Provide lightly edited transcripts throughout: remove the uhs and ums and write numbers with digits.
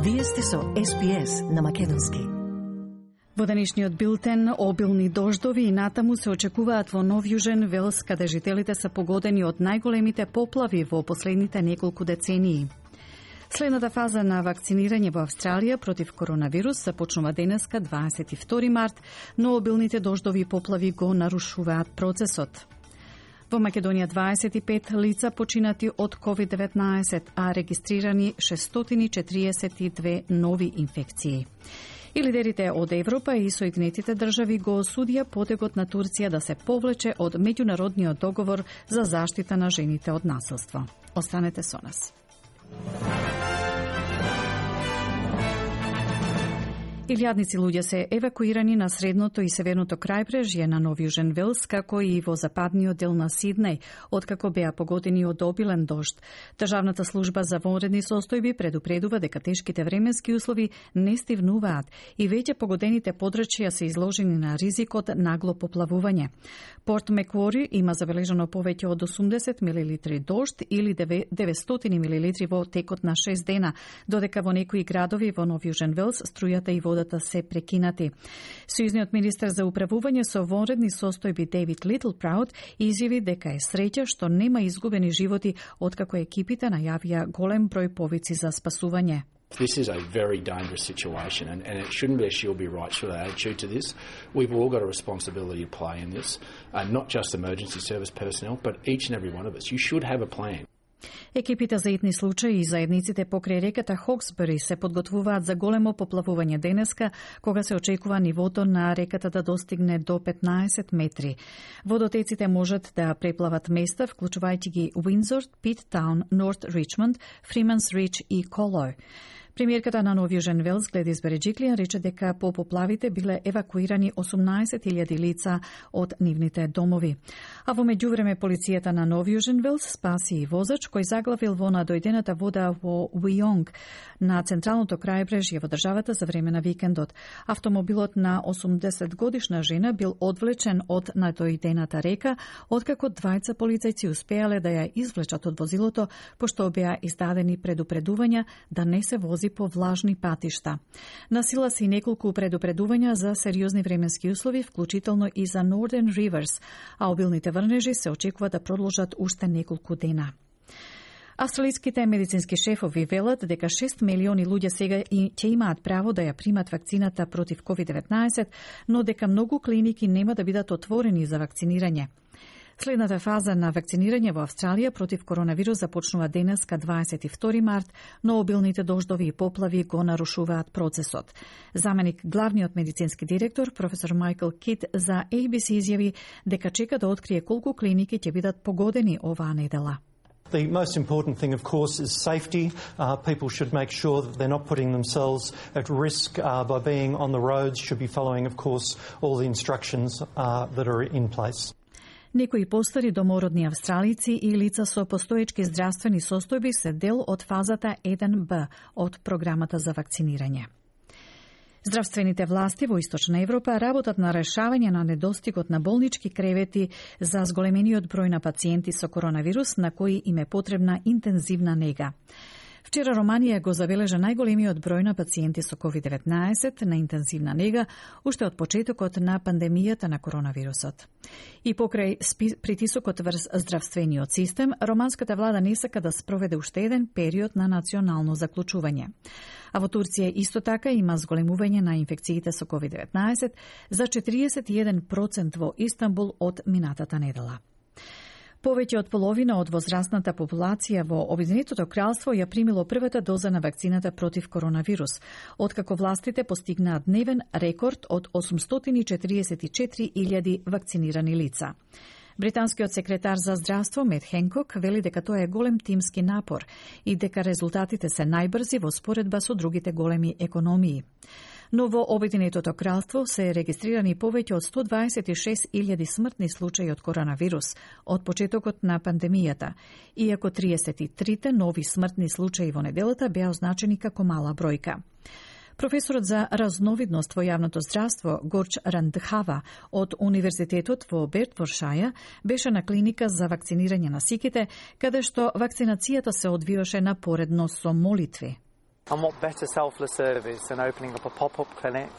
Вие сте со СПС на македонски. Во денешниот билтен, обилни дождови и натаму се очекуваат во Нов Јужен Велс, каде жителите се погодени од најголемите поплави во последните неколку децении. Следната фаза на вакцинирање во Австралија против коронавирус започнува денеска 22 март, но обилните дождови и поплави го нарушуваат процесот. Во Македонија 25 лица починати од COVID-19, а регистрирани 642 нови инфекции. И лидерите од Европа и Соединетите држави го осудија потегот на Турција да се повлече од меѓународниот договор за заштита на жените од насилство. Останете со нас. Илјадници луѓе се евакуирани на средното и северното крајбрежје на Нов Јужен Велс, како и во западниот дел на Сиднеј, откако беа погодени од обилен дожд. Државната служба за вонредни состојби предупредува дека тешките временски услови не стивнуваат и веќе погодените подрачја се изложени на ризикот нагло поплавување. Порт Меквори има забележано повеќе од 80 мл дожд или 900 мл во текот на 6 дена, додека во некои градови во Нов Јужен Велс струјата и водата се прекинати. Сојузниот министер за управување со вонредни состојби Дейвид Литлпраут изјави дека е среќа што нема изгубени животи откако екипите најавија голем број повици за спасување. This is a very dangerous situation, and it shouldn't be a she'll be right sort of attitude to this. We've all got a responsibility to play in this, not just emergency service personnel, but each and every one of us. You should have a plan. Екипите за итни случаи и заедниците покрај реката Хоксбери се подготвуваат за големо поплавување денеска, кога се очекува нивото на реката да достигне до 15 метри. Водотеците можат да преплават места, вклучувајќи ги Уиндзор, Питтаун, Норт Ричмонд, Фрименс Рич и Колој. Премиерката на Нов Јужен Велс, Гледис Береджиклијан, рече дека по поплавите биле евакуирани 18.000 лица од нивните домови. А во меѓувреме полицијата на Нов Јужен Велс спаси и возач кој заглавил во надојдената вода во Уионг на централното крајбрежје во државата за време на викендот. Автомобилот на 80 годишна жена бил одвлечен од надојдената река, откако двајца полицајци успеале да ја извлечат од возилото, пошто беа издадени предупредувања да не се вози по влажни патишта. Насила се и неколку предупредувања за сериозни временски услови, вклучително и за Northern Rivers, а обилните врнежи се очекува да продолжат уште неколку дена. Австралиските медицински шефови велат дека 6 милиони луѓе сега ќе имаат право да ја примат вакцината против COVID-19, но дека многу клиники нема да бидат отворени за вакцинирање. Следната фаза на вакцинирање во Австралија против коронавирус започнува денеска 22 март, но обилните дождови и поплави го нарушуваат процесот. Заменик главниот медицински директор, професор Майкл Кит, за ABC изјави дека чека да открие колку клиники ќе бидат погодени оваа недела. The most important thing, of course, is safety. People should make sure that they're not putting themselves at risk by being on the roads, should be following, of course, all the instructions that are in place. Некои постари домородни австралици и лица со постоечки здравствени состојби се дел од фазата 1Б од програмата за вакцинирање. Здравствените власти во Источна Европа работат на решавање на недостигот на болнички кревети за зголемениот број на пациенти со коронавирус на кои им е потребна интензивна нега. Вчера Романија го забележа најголемиот број на пациенти со COVID-19 на интензивна нега уште од почетокот на пандемијата на коронавирусот. И покрај притисокот врз здравствениот систем, романската влада не сака да спроведе уште еден период на национално заклучување. А во Турција исто така има зголемување на инфекциите со COVID-19 за 41% во Истанбул од минатата недела. Повеќе од половина од возрастната популација во Обединетото кралство ја примило првата доза на вакцината против коронавирус, откако властите постигнаат дневен рекорд од 844.000 вакцинирани лица. Британскиот секретар за здравство Мет Хенкок вели дека тоа е голем тимски напор и дека резултатите се најбрзи во споредба со другите големи економии. Но во Обединетото кралство се регистрирани повеќе од 126.000 смртни случаи од коронавирус од почетокот на пандемијата, иако 33 нови смртни случаи во неделата беа означени како мала бројка. Професорот за разновидност во јавното здравство Горч Рандхава од Универзитетот во Бертфоршајр беше на клиника за вакцинирање на сиките, каде што вакцинацијата се одвиваше напоредно со молитви. And what better selfless service than opening up a pop-up clinic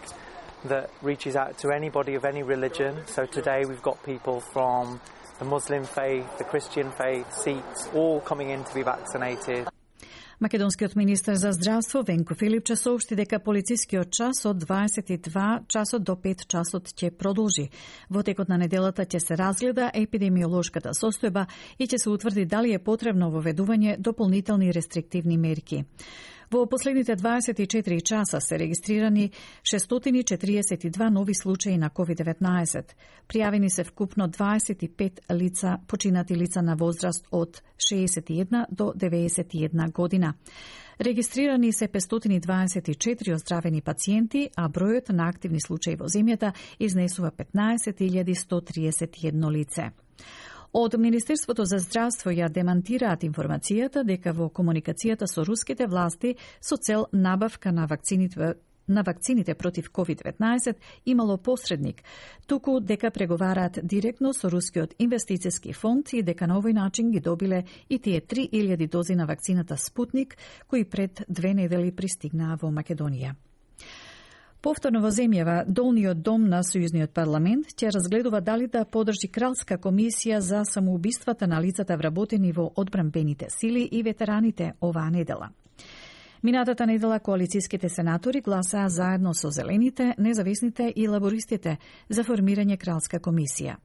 that reaches out to anybody of any religion. So today we've got people from the Muslim faith, the Christian faith, Sikhs, all coming in to be vaccinated. Македонскиот министер за здравство Венко Филипче соопшти дека полицискиот час од 22 часот до 5 часот ќе продолжи. Во текот на неделата ќе се разгледа епидемиолошката состојба и ќе се утврди дали е потребно воведување дополнителни рестриктивни мерки. Во последните 24 часа се регистрирани 642 нови случаи на COVID-19. Пријавени се вкупно 25 лица, починати лица на возраст од 61 до 91 година. Регистрирани се 524 оздравени пациенти, а бројот на активни случаи во земјата изнесува 15.131 лице. Од Министерството за здравство ја демантираат информацијата дека во комуникацијата со руските власти со цел набавка на вакцините против COVID-19 имало посредник, туку дека преговараат директно со Рускиот инвестицијски фонд и дека на овој начин ги добиле и тие 3000 дози на вакцината Спутник, кои пред 2 недели пристигнаа во Македонија. Повторно во земјава, Долниот дом на Сојузниот парламент ќе разгледува дали да подржи кралска комисија за самоубиствата на лицата вработени во одбранбените сили и ветераните оваа недела. Минатата недела коалицијските сенатори гласаа заедно со Зелените, Независните и Лабористите за формирање кралска комисија.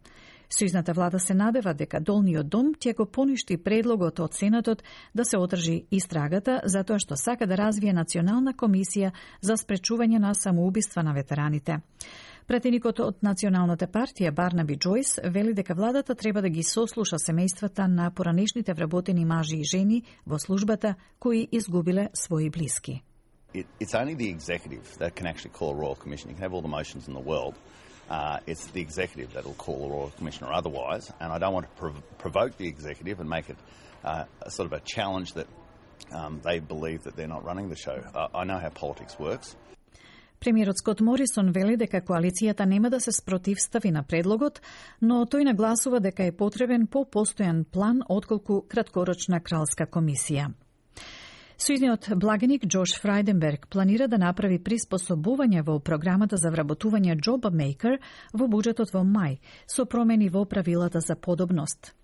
Сојузната влада се надева дека Долниот дом ќе го поништи предлогот од Сенатот да се одржи истрагата затоа што сака да развие национална комисија за спречување на самоубиства на ветераните. Пратеникот од Националната партија Барнаби Джойс вели дека владата треба да ги сослуша семејствата на поранешните вработени мажи и жени во службата кои изгубиле своји блиски. It's only the executive that can actually call a royal commission. You can have all the motions in the world. It's the executive that will call a royal commission or otherwise, and I don't want to provoke the executive and make it a sort of a challenge that they believe that they're not running the show. I know how politics works. Премиерот Скот Морисон вели дека коалицијата нема да се спротивстави на предлогот, но тој нагласува дека е потребен по-постојан план отколку краткорочна кралска комисија. Сојузниот благеник Джош Фрајденберг планира да направи приспособување во програмата за вработување Job Maker во буџетот во мај, со промени во правилата за подобност.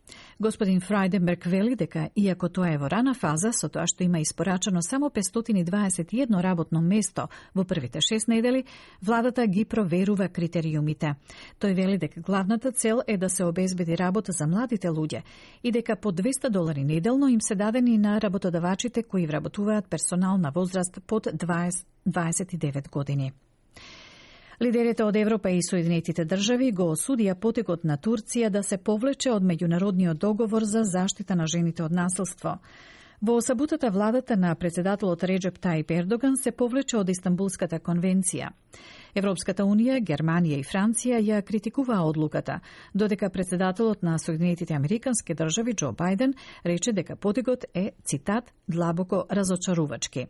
Господин Фрајденберг вели дека, иако тоа е во рана фаза, со тоа што има испорачано само 521 работно место во првите 6 недели, владата ги проверува критериумите. Тој вели дека главната цел е да се обезбеди работа за младите луѓе и дека по $200 неделно им се дадени на работодавачите кои вработуваат персонал на возраст под 29 години. Лидерите од Европа и Соединетите држави го осудија потекот на Турција да се повлече од меѓународниот договор за заштита на жените од насилство. Во саботата владата на председателот Реджеп Тајип Ердоган се повлече од Истанбулската конвенција. Европската унија, Германија и Франција ја критикуваа одлуката, додека председателот на Соединетите Американски држави Џо Бајден рече дека потекот е, цитат, длабоко разочарувачки.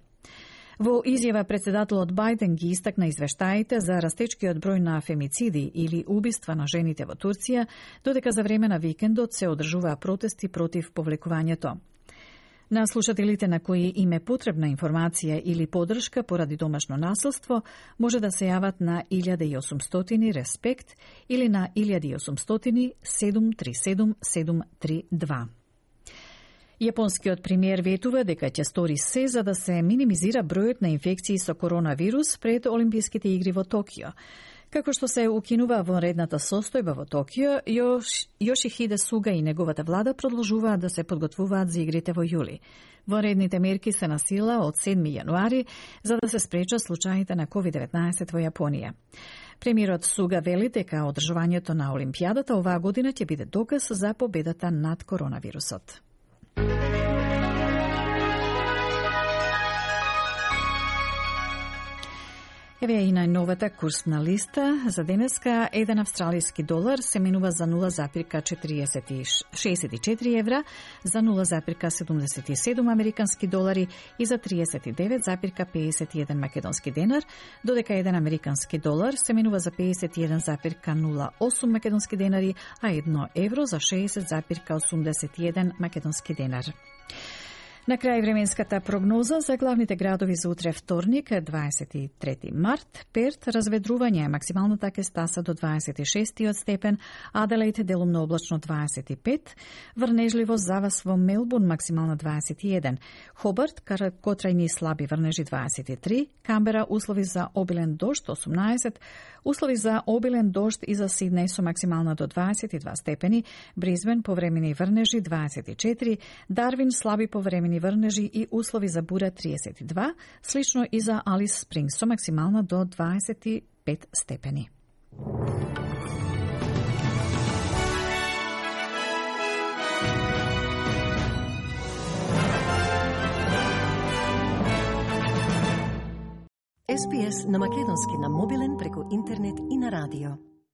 Во изјава председателот Бајден ги истакна извештаите за растечкиот број на фемициди или убиства на жените во Турција, додека за време на викендот се одржуваа протести против повлекувањето. На слушателите на кои им е потребна информација или поддршка поради домашно насилство, може да се јават на 1800 респект или на 1800 737 732. Јапонскиот премиер ветува дека ќе стори се за да се минимизира бројот на инфекции со коронавирус пред Олимписките игри во Токио. Како што се укинува вонредната состојба во Токио, Јошихиде Суга и неговата влада продолжуваат да се подготвуваат за игрите во јули. Вонредните мерки се на сила од 7 јануари за да се спречат случаите на COVID-19 во Јапонија. Премиерот Суга вели дека одржувањето на Олимпијадата оваа година ќе биде доказ за победата над коронавирусот. Еве и најновата курсна листа. За денеска, еден австралиски долар се менува за 0,64 евра, за 0,77 американски долари и за 39,51 македонски денар, додека еден американски долар се менува за 51,08 македонски денари, а 1 евро за 60,81 македонски денар. На крај временската прогноза за главните градови за утре вторник, 23 март. Перт разведрување, максималната ќе стаса до 26 степен, Аделаид делумно облачно 25, врнежливо завас во Мелбурн максимално 21, Хобарт краткотрајни слаби врнежи 23, Камбера услови за обилен дожд 18, услови за обилен дожд и за Сиднеј со максимално до 22 степени, Бризбен повремени врнежи 24, Дарвин слаби повремени врнежи и услови за бура 32, слично и за Алис Спрингс со максимално до 25 степени. SPS на македонски на мобилен преку интернет и на радио.